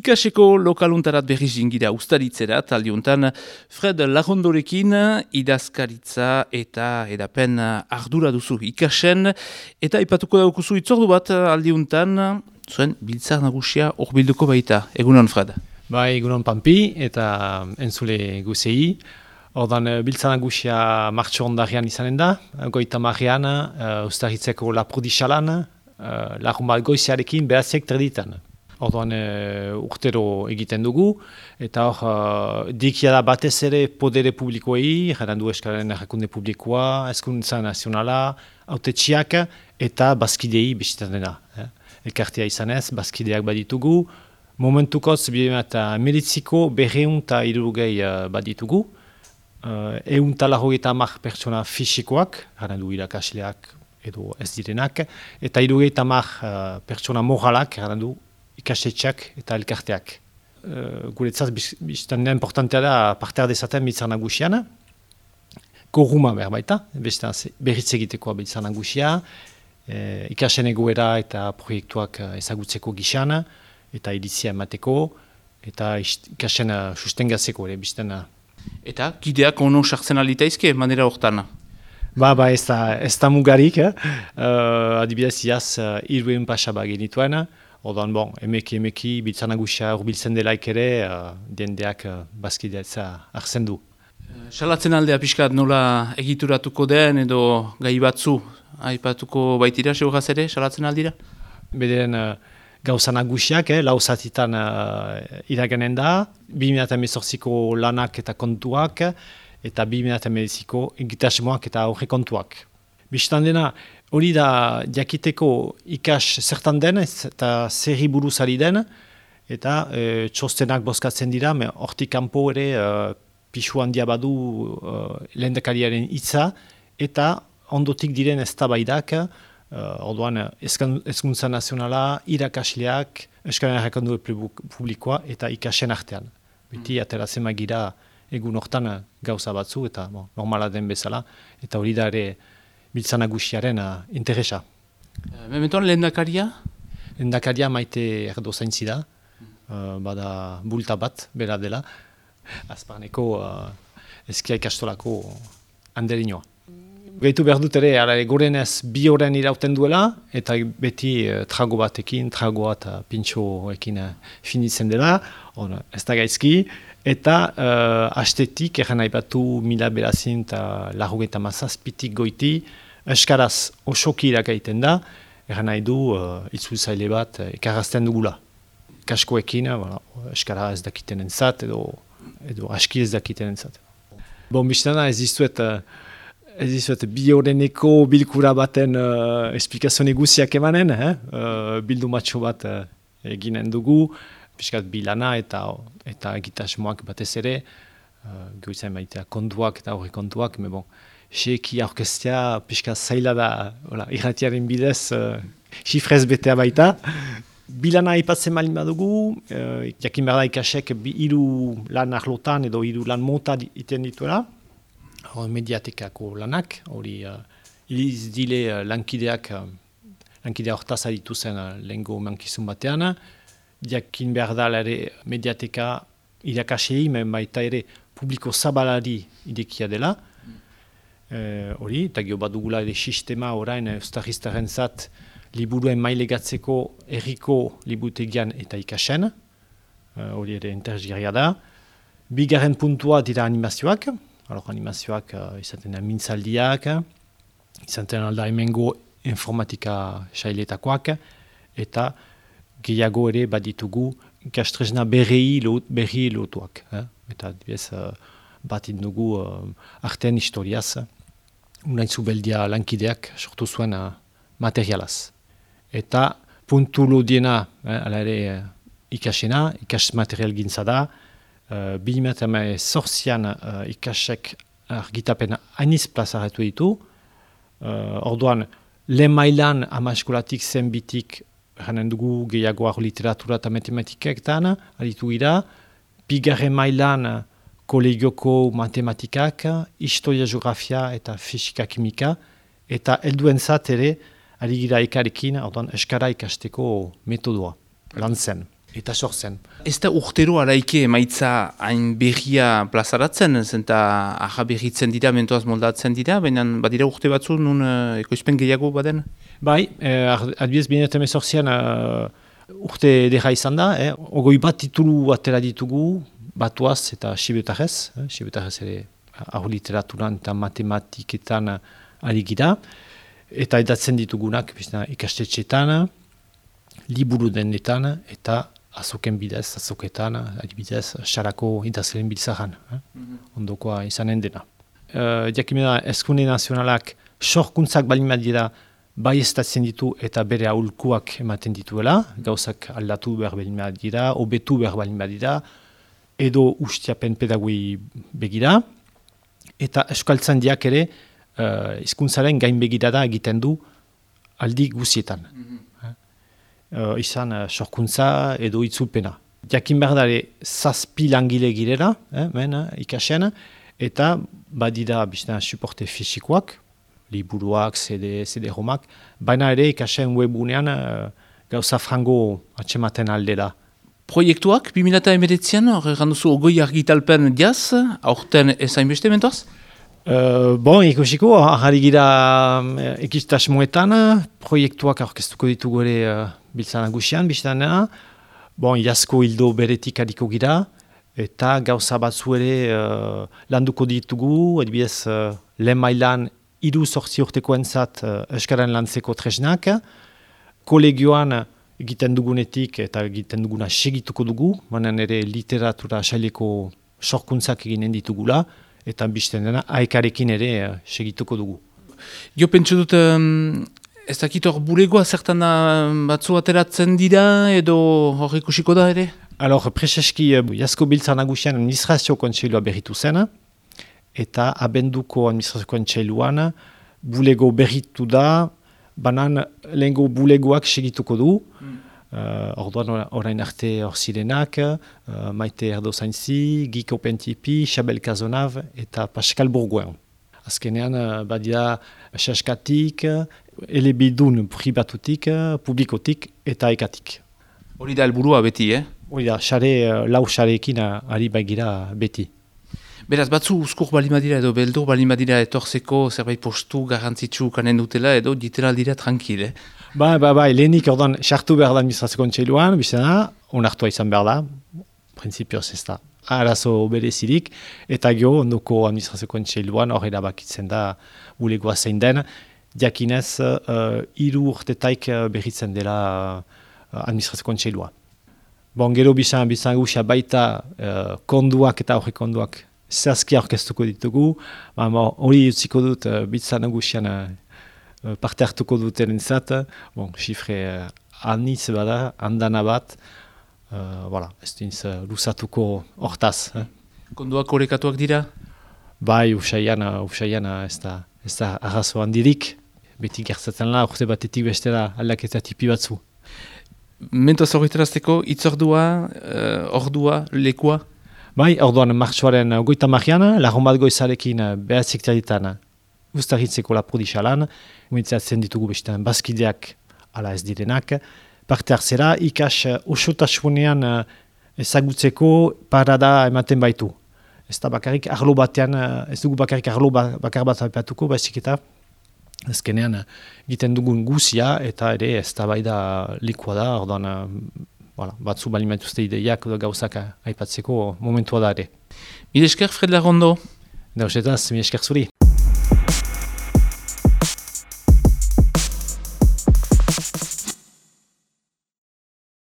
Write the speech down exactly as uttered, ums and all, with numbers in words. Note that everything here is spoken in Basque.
Ikaseko lokaluntarat berriz jingira ustaritzerat, aldiuntan Fred Lagondorekin idazkaritza eta edapen ardura duzu ikasen, eta ipatuko daukuzu itzordu bat aldiuntan, zuen biltzar nagusia hor bilduko baita. Egunon, Fred? Ba, egunon Pampi eta entzule guzei. Ordan biltzar nagusia martxo ondarian izanen da, goita marrean, uh, ustaritzeko laprodixalan, uh, lagun bat goizearekin behaziek terditan. Orduan uh, urtero egiten dugu, eta hor uh, dikia da batez ere podere publikoei, jaran du eskaren errakunde publikoa, eskuntza nazionala, autetxiak eta bazkidei bisitan dena. Eh? Elkartea izanez, bazkideak baditugu, momentukoz eta meditziko berreun eta irurugei uh, baditugu, uh, eun talarro eta amak pertsona fisikoak, jaran du irakasleak edo ez direnak, eta irurugei eta amak uh, pertsona moralak, jaran du ikastetxeak eta elkarteak. Uh, guretzat biztan da importantea da parte dezaten biltzar nagusian. Korruma behar baita, berriz egitekoa biltzar nagusia, eh, ikasen egoera eta proiektuak ezagutzeko gixan, eta iritzia emateko, eta ikasen uh, sustengatzeko ere biztan. Eta kideak ono sartzen alitaizke manera hortan? Ba, ba, ez da, ez da mugarik, eh? uh, adibidez iaz uh, iruen pasaba genituen. Ordan, bon, emeki emeki biltzar nagusia urbiltzen delaik ere, uh, diendeak uh, bazkideatza hartzen du. Salatzen aldea pixkat nola egituratuko den edo gai batzu aipatuko baitira seuraz ere, salatzen aldira? Bederen uh, gauza nagusiak, eh, lau zatitan uh, iraganen da, bi mila hemezortziko lanak eta kontuak, eta bi mila hemezortziko egitasmoak eta aurre kontuak. Bistan dena, hori da jakiteko ikas zertan den eta zerri buruz ari den, eta e, txostenak bozkatzen dira, hortik kanpo ere e, pixu handia badu e, lehendakariaren hitza, eta ondotik diren eztabaidak, e, orduan hezkuntza nazionala, irakasleak, Euskal Herrikondu publikoa eta ikasen artean. Beti ateratzen magira egun hortan gauza batzu, eta bon, normala den bezala, eta hori da ere biltzar nagusiaren uh, interesa. Uh, Mementoan lehendakaria? Lehendakaria Maite Erdo zaintzi da, uh, bada bulta bat, bera dela, azparneko uh, eskia ikastolako handerinoa. Gaitu behar dut ere, ara, gorenez bi horren irauten duela, eta beti uh, trago batekin, tragoa eta pintxoekin uh, finitzen dela, or, ez da gaizki, eta uh, astetik, erran nahi batu mila berazin eta larrogeita mazazpitik goiti, eskaraz osoki irakaiten da, erran nahi du uh, itzultzaile bat uh, ekarazten dugula. Kaskoekin, uh, eskara ez dakiten entzat, edo, edo aski ez dakiten entzat. Bon, biztana ez dizuet, uh, ez dizuet bi horreneko bilkura baten uh, esplikazio neguziak emanen, eh? uh, bildu matxo bat uh, eginen dugu, piskat bilana eta eta egitasmoak batez ere, uh, goizain baitea kontuak eta horre kontuak, me bon, xeki aurkestea piskat zaila da, hola, irratiaren bidez, uh, xifrez betea baita. Bilana aipatzen malin badugu, uh, jakin behar da ikasek bi hiru lan arlotan edo hiru lan mota iten dituela, hor mediatekako lanak, hori uh, iliz dile uh, lankideak, uh, lankidea hortaz aditu zen uh, lehengo mankizun batean, jakin behar da ere mediateka irakasei, men baita ere publiko zabalari idekia dela. Hori, eta gero bat dugula ere sistema orain eustarriztaren zat liburuen mailegatzeko erriko libutegian eta ikasen. Hori ere interesgarria da. Bigarren puntua dira animazioak. Alor, animazioak uh, izaten da mintzaldiak, izaten alda hemengo informatika sailetakoak, eta gehiago ere baditugu ikastresna berri berri lotuak. Eh? Eta bez, uh, bat indugu uh, artean historiaz, unaitzu beldia lankideak sortu zuen uh, materialaz. Eta puntu lodiena, eh, ala ere uh, ikasena, ikas material gintza da, uh, bi mila hemezortzian uh, ikasek argitapen hainiz plazaratu ditu, uh, orduan lehen mailan ama eskolatik zenbitik janen dugu gehiagoak literatura eta matematikaktan, aritu gira, bigarren mailan kolegioko matematikak, historia, geografia eta fisika kimika, eta helduen zat ere, ari gira ekarekin, orduan eskara ikasteko metodoa, lan zen. eta sortzen. Ez da urtero araike emaitza hain berria plazaratzen, zenta aha berritzen dira, mentoaz moldatzen dira, baina badira urte batzu nun uh, ekoizpen gehiago baden? Bai, eh, adibidez binet emezortzian uh, urte edera izan da, eh? Ogoi bat titulu atera ditugu, batuaz eta sibetarrez, eh? Sibetarrez ere hau literaturan eta matematiketan ari gira, eta edatzen ditugunak bizna, ikastetxetan, liburu denetan eta azoken bidez, azoketan, adibidez, xarako idazleen biltzaran, eh? Mm-hmm. Ondokoa izanen dena. Uh, Jakimena, Ezkunde Nazionalak sorkuntzak balin dira bai estatzen ditu eta bere aholkuak ematen dituela, gauzak aldatu behar balin dira, hobetu behar balin dira, edo ustiapen pedagoi begira, eta euskaltzandiak ere uh, hizkuntzaren gain begirada egiten du aldi guzietan. Mm-hmm. Uh, izan uh, sorkuntza edo itzulpena. Jakin behar dare zazpi langile girela, eh, men, ikasen, eta badira bizna suporte fisikoak, liburuak, C D, C D-romak, baina ere ikasen webunean uh, gauza frango atxematen aldera. Proiektuak, bi mila hemeretzian, horregan duzu ogoi argitalpen diaz, aurten ezain beste mentoaz? Uh, bon, ikusiko, ahari gira uh, ekistasmoetan, proiektuak aurkeztuko ditugu ere uh, biltzan nagusian, biztanena. Bon, jasko hildo beretik adiko gira, eta gauza batzu ere uh, landuko ditugu, adibidez uh, lehen mailan hiru sortzi urteko entzat uh, euskaren lantzeko tresnak, kolegioan egiten dugunetik eta egiten duguna segituko dugu, manen ere literatura saileko sorkuntzak eginen ditugula, eta bizten dena aekarekin ere uh, segituko dugu. Jo pentsu dut, um, ez dakit hor bulegoa zertan batzu ateratzen dira edo hor ikusiko da ere? Alor, preseski uh, jasko biltzan nagusian administrazio kontseilua berritu zen, eta abenduko administrazio kontseiluan bulego berritu da, banan lehengo bulegoak segituko du. Mm. Uh, orduan orain arte hor zirenak, uh, Maite Erdozainzi, Giko Pentipi, Xabel Kazonav eta Pascal Bourgoin. Azkenean uh, badia saskatik, elebidun pribatutik, publikotik eta ekatik. Hori da helburua beti, eh? Hori da, xare, uh, lau xareekin uh, ari baigira beti. Beraz, batzu uzkur balimadira edo beldur balimadira etorzeko zerbait postu garrantzitsu kanen dutela edo ditela dira tranquil, eh? Ba, ba, ba, lehenik ordan sartu behar da administrazio kontseiluan, bizena, onartua izan behar da, prinsipioz ez da, arazo berezirik, eta gero ondoko administrazio kontseiluan hor erabakitzen da bulegoa zein den, jakinez uh, hiru urtetaik berritzen dela uh, administrazio kontseilua. Bon, gero bizan, bizan gusia baita uh, konduak eta horre konduak zehazki aurkeztuko ditugu, hori utziko dut uh, bizan gusian uh, parte hartuko duten entzat, bon, xifre uh, anitz bada, handana bat, uh, voilà, ez dintz uh, luzatuko hortaz. Eh? Konduak horrekatuak dira? Bai, usaian, usaian ez da, ez da arrazo handirik, beti gertzatzen la, urte batetik bestera aldaketa tipi batzu. Mentoaz horretarazteko, itzordua, uh, ordua, lekua? Bai, orduan martxoaren goita marian, lagun bat goizarekin behatzik ditan ustaritzeko laprodixalan, guintzatzen ditugu bestean bazkideak ala ez direnak, parte hartzera ikas osotasunean ezagutzeko parada ematen baitu. Ez da bakarrik arlo batean, ez dugu bakarrik arlo bakar bat aipatuko, baizik eta azkenean egiten dugun guzia eta ere ez da bai da likua da, orduan voilà, batzu balimatuzte ideiak gauzak aipatzeko momentua da ere. Mil esker, Fred Larrondo. Dauzetaz, mil esker zuri.